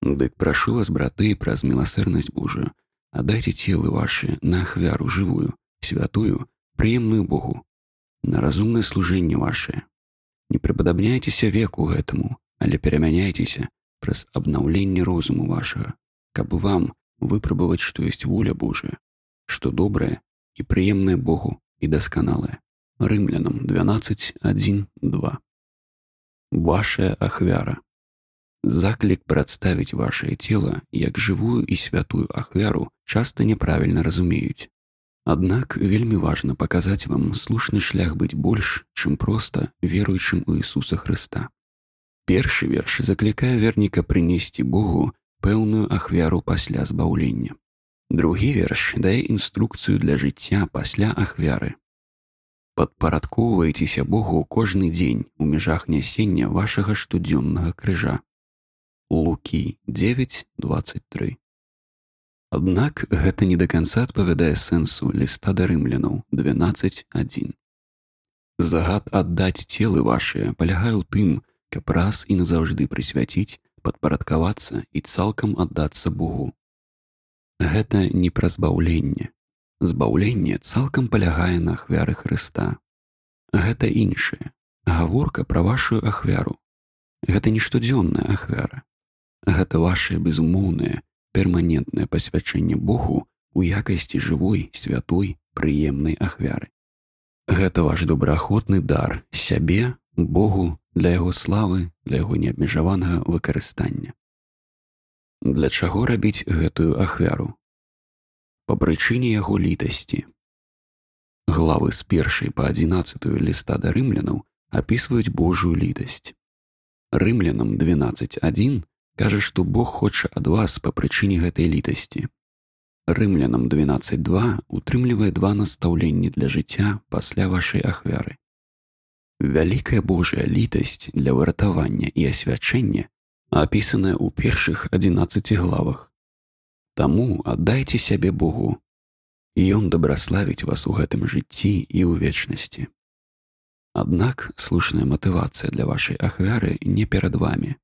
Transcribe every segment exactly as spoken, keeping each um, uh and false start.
Дык прашу вас, браты, праз милосердность Божию, отдайте телы ваши на ахвяру живую, святую, приемную Богу, на разумное служение ваше. Не приподобняйтеся веку гэтаму, але перамяняйтеся праз обновление розуму вашего, каб вам выпробовать, что есть воля Божия, что доброе и приемное Богу и досконалое. Римлянам двенадцать, один, два. Вашая ахвяра. Заклик представить ваше тело як живую и святую ахвяру часто неправильно разумеют. Аднак вельмі важно показать вам слушный шлях быть больш, чым просто веруючым у Иисуса Христа. Першы верш закликае верніка прынесці Богу пэўную ахвяру пасля збаўлення. Другі верш дае інструкцыю для жыцця пасля ахвяры. Падпарадкоўвайцеся Богу кожны дзень у межах нясення вашага штодзённага крыжа. Лукі девять, двадцать три. Аднак гэта не да канца адпавядае сэнсу ліста да рымлянаў двенадцать, один. Загад аддаць целы вашыя палягае ў тым, каб раз і назаўжды прысвяціць, падпарадкавацца і цалкам аддацца Богу. Гэта не пра збаўленне. Збаўленне цалкам палягае на ахвяры Хрыста. Гэта іншае. Гаворка пра вашу ахвяру. Гэта не штодзённая ахвяра. Гэта вашае безумоўнае, перманентнае пасвячэнне Богу у якасці жывой, святой, прыемнай ахвяры. Гэта ваш добраахвотны дар сябе, Богу, для яго славы, для яго неабмежаванага выкарыстання. Для чаго рабіць гэтую ахвяру? Па прычыне яго літасці. Главы з першай па адзінаццатую ліста да рымлянаў апісваюць Божую літасць. Рымлянам двенадцать, один кажа, што Бог хоча ад вас па прычыне гэтай літасці. Рымлянам двенадцать, два утрымлівае два настаўленні для жыцця пасля вашай ахвяры. Вялікая Божая літасць для выратавання і асвячэння апісаная ў першых адзінаццаці главах. Таму аддайце сябе Богу. Ён дабраславіць вас у гэтым жыцці і ў вечнасці. Аднак слушная матывацыя для вашай ахвяры не перад вамі.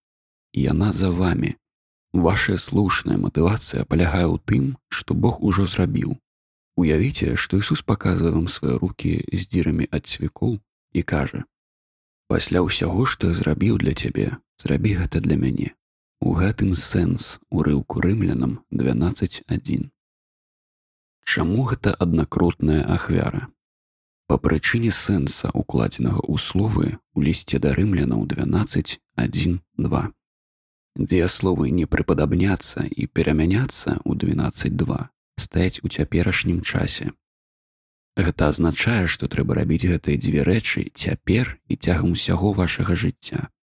Яна за вамі. Ваша слушная матывацыя палягае ў тым, што Бог ужо зрабіў. Уявіце, што Ісус паказвае вам свае рукі з дзірамі ад цвікоў і кажа: «Пасля ўсяго, што я зрабіў для цябе, зрабі гэта для мяне». У гэтым сэнс урыўку рымлянам двенадцать, один. Чаму гэта аднакротная ахвяра? Па прычыне сэнса, укладзенага ў словы у лісце да рымлянаў двенадцать, один, два. Дзеясловы «не прыпадабняцца» і «перамяняцца» ў двенадцать, два стаяць у цяперашнім часе. Гэта азначае, што трэба рабіць гэтыя дзве рэчы цяпер і цягам усяго вашага жыцця.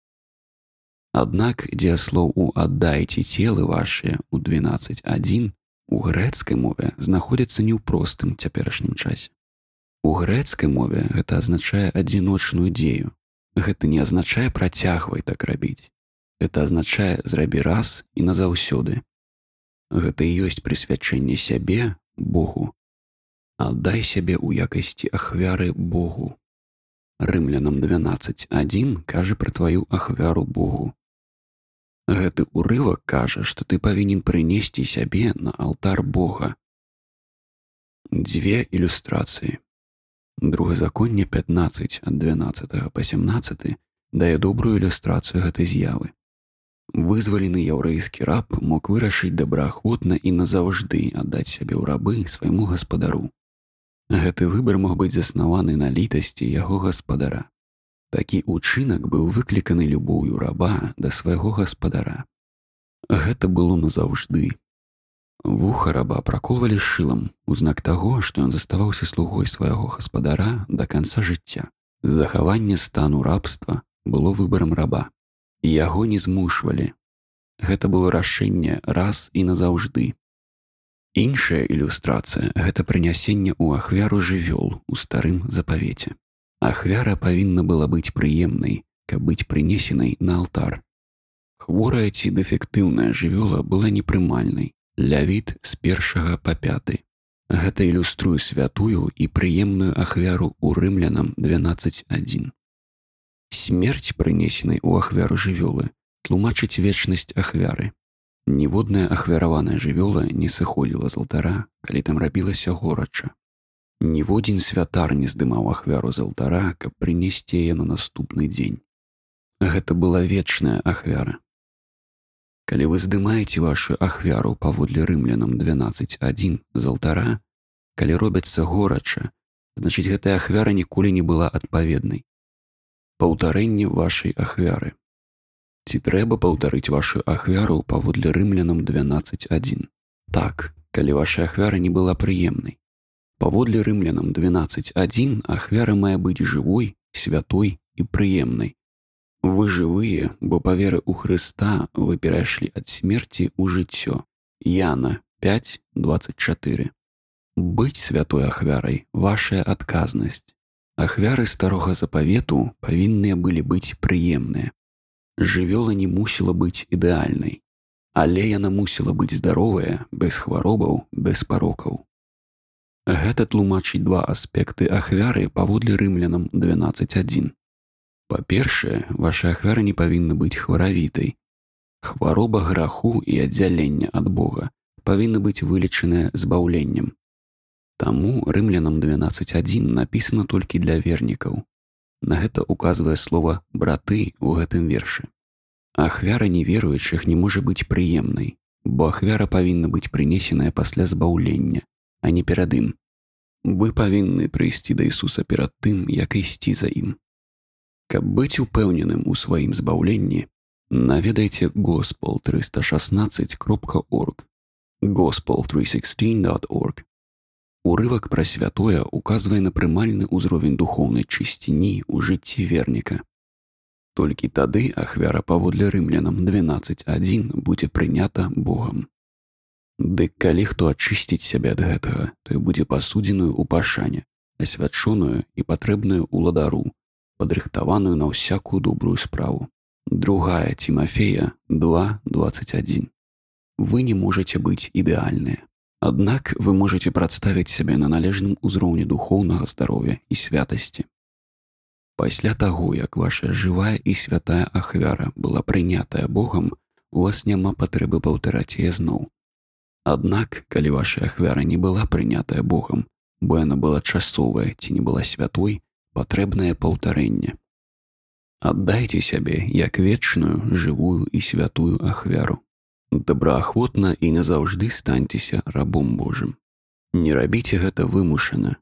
Аднак дзеяслоў у «аддайце целы вашыя» ў двенадцать, один у грэцкай мове знаходзіцца не ў простым цяперашнім часе. У грэцкай мове гэта азначае адзіночную дзею. Гэта не азначае «працягвай так рабіць». Гэта азначае «зрабі раз і назаўсёды». Гэта і ёсць прысвячэнне сябе Богу. Аддай сябе ў якасці ахвяры Богу. Рымлянам двенадцать, один кажа пра тваю ахвяру Богу. Гэты урывак кажа, што ты павінен прынесці сябе на алтар Бога. Дзве ілюстрацыі. Другазаконне пятнадцать ад дванаццатага па сямнаццаты дае добрую ілюстрацыю гэтай з'явы. Вызвалены яўрэйскі раб мог вырашыць добраахвотна і назаўжды аддаць сябе ў рабы свайму гаспадару. Гэты выбар мог быць заснаваны на літасці яго гаспадара. Такі ўчынак быў выкліканы любоўю раба да свайго гаспадара. Гэта было назаўжды. Вуха раба праколвалі шылам у знак таго, што ён заставаўся слугой свайго гаспадара да канца жыцця. Захаванне стану рабства было выбарам раба. Яго не змушвалі. Гэта было рашэнне раз і назаўжды. Іншая ілюстрацыя – гэта прынясенне ў ахвяру жывёл у старым запавеце. Ахвяра павінна была быць прыемнай, каб быць прынесенай на алтар. Хворая ці дэфектыўная жывёла была непрымальнай. Лявіт з першага па пяты. Гэта ілюструе святую і прыемную ахвяру ў рымлянам двенадцать, один. Смерць, прынесенай у ахвяру жывёлы, тлумачыць вечнасць ахвяры. Ніводная ахвяраваная жывёла не сыходзіла з алтара, калі там рабілася горача. Ніводзін святар не здымаў ахвяру з алтара, каб прынесці яе на наступны дзень. Гэта была вечная ахвяра. Калі вы здымаеце вашу ахвяру паводле рымлянам дванаццаць адзін з алтара, калі робяцца горача, значыць гэтая ахвяра ніколі не была адпаведнай. Паўтарэнне вашай ахвяры. Ці трэба паўтарыць вашу ахвяру паводле рымлянам дванаццаць адзін? Так, калі ваша ахвяра не была прыемнай. Паводле рымлянам дванаццаць адзін ахвяра мае быць жывой, святой і прыемнай. Вы жывыя, бо па веры ў Хрыста вы перайшлі ад смерці ў жыццё. Яна пяць дваццаць чатыры. Быць святой ахвярай – вашая адказнасць. Ахвяры старога запавету павінныя былі быць прыемныя. Жывёла не мусіла быць ідэальнай, але яна мусіла быць здаровая, без хваробаў, без парокаў. Гэта тлумачыць два аспекты ахвяры паводле рымлянам дванаццаць адзін. Па-першае, ваша ахвяра не павінна быць хваравітай. Хвароба граху і аддзялення ад Бога павінна быць вылечаная збаўленнем. Таму рымлянам дванаццаць адзін напісана толькі для вернікаў. На гэта указвае слова «браты» ў гэтым вершы. Ахвяра неверуючых не можа быць прыемнай, бо ахвяра павінна быць прынесеная пасля збаўлення, а не перад ім. Вы павінны прыйсці да Ісуса перад тым, як ісці за ім. Каб быць упэўненым у сваім збаўленні, наведайце госпел триста шестнадцать кропка орг, госпел триста шестнадцать крапка орг. Урывак пра святое указвае на прымальны ўзровень духоўнай чысціні ў жыцці верніка. Толькі тады ахвяра паводле рымлянам дванаццаць адзін будзе прынята Богам. Дык калі хто ачысціць сябе ад гэтага, той будзе пасудзеную ў пашане, асвячоную і патрэбную ўладару, падрыхтаваную на ўсякую добрую справу. Другая Тимофея два дваццаць адзін. Вы не можаце быць ідэальныя. Аднак вы можаце прадставіць сябе на належным узроўні духоўнага здароўя і святасці. Пасля таго, як ваша жывая і святая ахвяра была прынятая Богам, у вас няма патрэбы паўтараць яе зноў. Аднак, калі ваша ахвяра не была прынятая Богам, бо яна была часовая ці не была святой, патрэбнае паўтарэнне. Аддайце сябе як вечную, жывую і святую ахвяру. Добраахвотна і назаўжды станьцеся рабом Божым. Не рабіце гэта вымушана.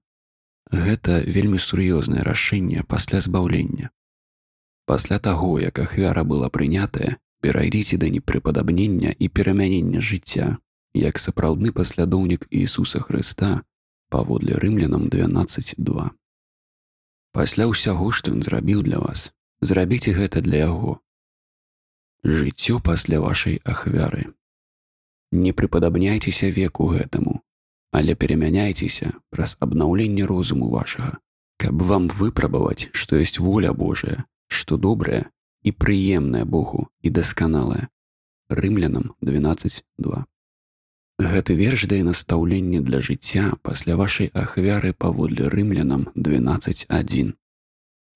Гэта вельмі сур'ёзнае рашэнне пасля збаўлення. Пасля таго, як ахвяра была прынятая, перайдзіце да непрыпадабнення і перамянення жыцця, як сапраўдны паслядоўнік Ісуса Хрыста паводле рымлянам дванаццаць два. Пасля ўсяго, што ён зрабіў для вас, зрабіце гэта для яго. Жыццё пасля вашай ахвяры. Не прыпадабняйцеся веку гэтаму, але перамяняйцеся праз абнаўленне розуму вашага, каб вам выпрабаваць, што ёсць воля Божая, што добрае і прыемнае Богу і дасканалае. Рымлянам дванаццаць два. Гэты верш дае настаўленне для жыцця пасля вашай ахвяры паводле рымлянам дванаццаць адзін.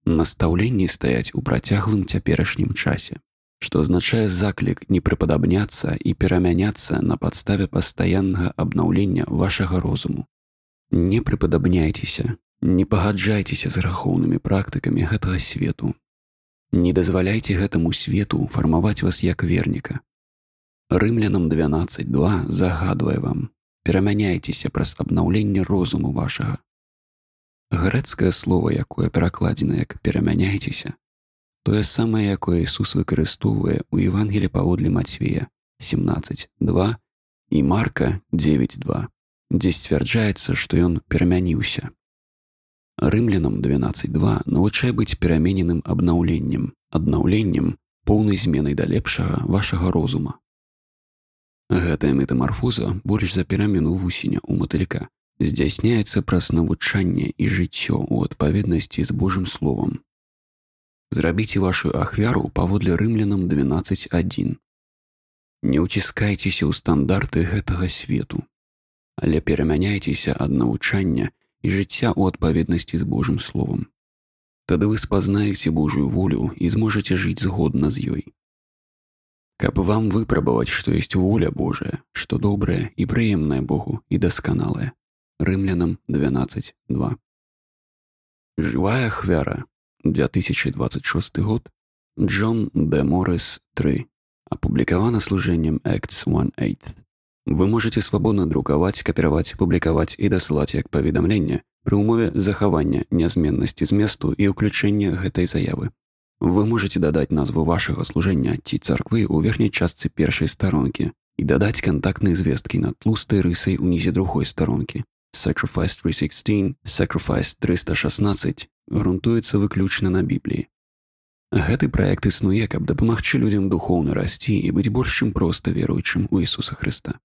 Настаўленні стаяць у працяглым цяперашнім часе, што азначае заклік не прыпадабняцца і перамяняцца на падставе пастаяннага абнаўлення вашага розуму. Не прыпадабняйцеся, не пагаджайцеся з грахоўнымі практыкамі гэтага свету. Не дазваляйце гэтаму свету фармаваць вас як верніка. Рымлянам дванаццаць два загадвае вам, перамяняйцеся праз абнаўленне розуму вашага. Грэцкае слова, якое перакладзена як «перамяняйцеся», тое самае, якое Ісус выкарыстоўвае ў Евангелі паводле Мацвея семнаццаць два і Марка дзевяць два, дзе сцвярджаецца, што ён перамяніўся. Рымлянам дванаццаць два навучае быць перамененым абнаўленнем, аднаўленнем, поўнай зменай да лепшага вашага розума. Гэтая метамарфоза, больш за перамену вусеня ў матылька, здзяйсняецца праз навучанне і жыццё ў адпаведнасці з Божым словам. Зрабіце вашу ахвяру паводле рымлянам дванаццаць адзін. Не ўціскайцеся ў стандарты гэтага свету, але перамяняйцеся ад навучання і жыцця ў адпаведнасці з Божым словам. Тады вы спазнаеце Божую волю і зможаце жыць згодна з ёй. каб вам выпрабаваць, што ёсць воля Божая, што добрае і прыемнае Богу і дасканалае. Рымлянам двенадцать два. Живая ахвяра. две тысячи двадцать шестой год. Джон Д. Моррис три. Опубликовано служением Acts one eight. Вы можете свободно друкаваць, капіраваць, публікаваць і дасылаць як паведамленне пры ўмове захавання нязменнасці зместу і ўключэння гэтай заявы. Вы можете дадаць назву вашага служэння ці царквы ў верхняй частцы першай старонкі і дадаць кантактныя звесткі над тлустай рысай унізе другой старонкі. Sacrifice триста шестнадцать, Sacrifice триста шестнадцать грунтуецца выключна на Бібліі. Гэты праект існуе, каб дапамагчы людзям духоўна расці і быць больш чым проста веруючым у Ісуса Хрыста.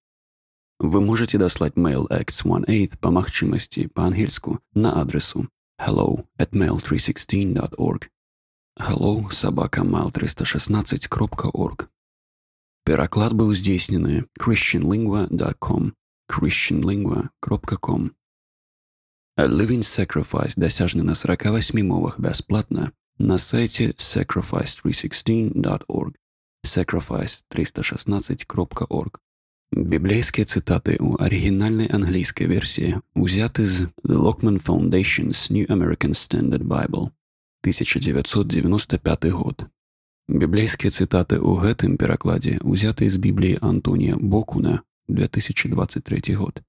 Вы можете даслаць mail Acts one eight па магчымасці па-ангельску на адресу hello at mail three sixteen dot org. hello собака mail триста шестнадцать кропка орг. Пераклад быў здзейснены christian lingua dot com. christian lingua dot com. A Living Sacrifice дасяжны на сорока восьми мовах бясплатна на сайце sacrifice three sixteen dot org. sacrifice триста шестнадцать кропка орг. Біблейскія цытаты ў арыгінальнай англійскай версіі узяты з The Lockman Foundation's New American Standard Bible, тысяча девятьсот девяносто пятый год. Біблейскія цытаты ў гэтым перакладзе узяты з Бібліі Антонія Бокуна, две тысячи двадцать третий год.